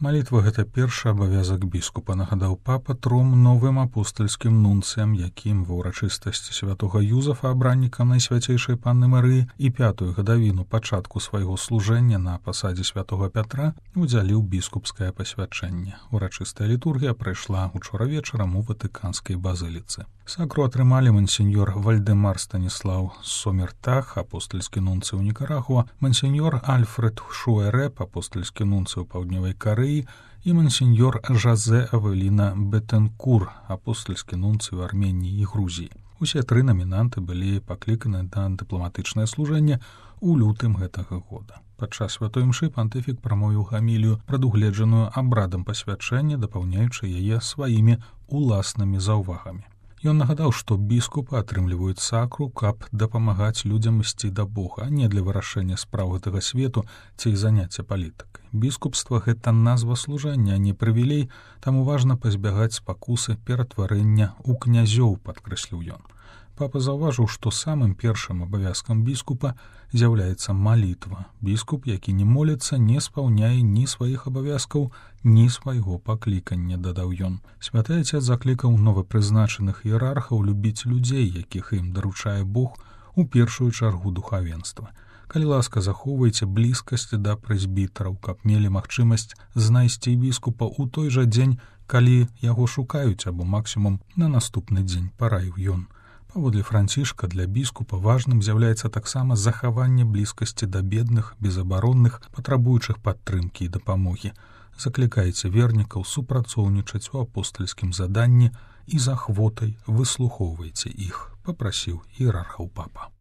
Малітва — гэта першы абавязак біскупа, нагадаў папа тром новым апостальскім нунцыям, якім ва ўрачыстасці святога Юзафа, абраннікам Найсвяцейшай Панны Марыі, і 5-ю гадавіну пачатку свайго служэння на пасадзе святога Пятра удзяліў біскупскае пасвячэнне. Урачыстая літургія прайшла учора вечарам у Ватыканскай базыліцы. Сакру атрымалі мансеньор Вальдэмар Станіслаў Сомертах, апостальскі нунцый у Нікарагуа, мансеньор Альфред Шуэрэп, апостальскі нунцый у Паўднёвай Карэі, і мансеньор Жазэ Авеліна Бетенкур, апостальскі нунцый у Арменіі і Грузіі. Усе тры намінанты былі пакліканы на дыпламатычнае служэнне ў лютым гэтага года. Падчас святой імшы пантыфік прамовіў гамілію, прадугледжаную абрадам пасвячэння, дапаўняючы яе сваімі уласнымі заўвагамі. Ён нагадаў, што біскупы атрымліваюць сакру, каб дапамагаць людзям ісці да Бога, а не для вырашэння спраў гэтага свету ці заняцця палітыкай. Біскупства — гэта назва служэння, а не прывілей, таму важна пазбягаць спакусы ператварэння ў князёў, падкрэсліў ён. Папа заўважыў, што самым першым абавязкам біскупа з'яўляецца малітва. Біскуп, які не моліцца, не спаўняе ні сваіх абавязкаў, ні свайго паклікання, дадаў ён. Святы Ацец заклікаў новапрызначаных іерархаў любіць людзей, якіх ім даручае Бог, у першую чаргу духавенства. Калі ласка, захоўвайце блізкасць да прэзбітараў, каб мелі магчымасць знайсці біскупа ў той жа дзень, калі яго шукаюць, або максімум на наступны дзень, параіў ён. Паводле Францішка, для біскупа важным з'яўляецца таксама захаванне блізкасці да бедных, безабаронных, патрабуючых падтрымкі і дапамогі. Заклікайце вернікаў супрацоўнічаць у апостальскім заданні і з ахвотай выслухоўвайце іх, папрасіў іерархаў папа.